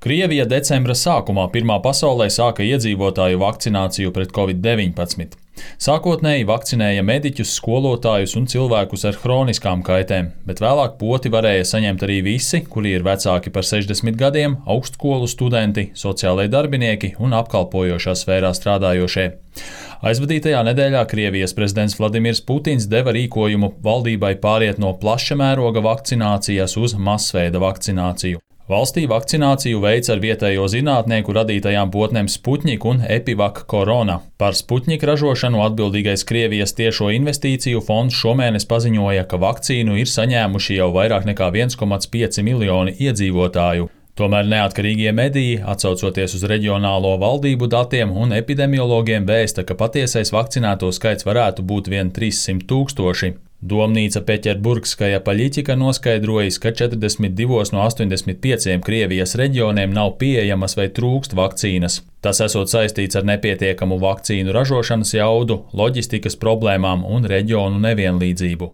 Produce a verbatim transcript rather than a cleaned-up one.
Krievija decembra sākumā pirmā pasaulē sāka iedzīvotāju vakcināciju pret covid deviņpadsmit. Sākotnēji vakcinēja mediķus, skolotājus un cilvēkus ar hroniskām kaitēm, bet vēlāk poti varēja saņemt arī visi, kuri ir vecāki par sešdesmit gadiem, augstskolu studenti, sociālai darbinieki un apkalpojošā sfērā strādājošie. Aizvadītajā nedēļā Krievijas prezidents Vladimirs Putins deva rīkojumu valdībai pāriet no plaša mēroga vakcinācijas uz masveida vakcināciju. Valstī vakcināciju veic ar vietējo zinātnieku radītajām potnēm Sputnik un Epivak Korona. Par Sputnik ražošanu atbildīgais Krievijas tiešo investīciju fonds šomēnes paziņoja, ka vakcīnu ir saņēmuši jau vairāk nekā viens komats pieci miljoni iedzīvotāju. Tomēr neatkarīgie mediji, atsaucoties uz reģionālo valdību datiem un epidemiologiem, vēsta, ka patiesais vakcinēto skaits varētu būt vien trīssimt tūkstoši. Domnīca Peķerburgskaja paļiķika noskaidrojas, ka četrdesmit divos no astoņdesmit pieciem Krievijas reģioniem nav pieejamas vai trūkst vakcīnas. Tas esot saistīts ar nepietiekamu vakcīnu ražošanas jaudu, loģistikas problēmām un reģionu nevienlīdzību.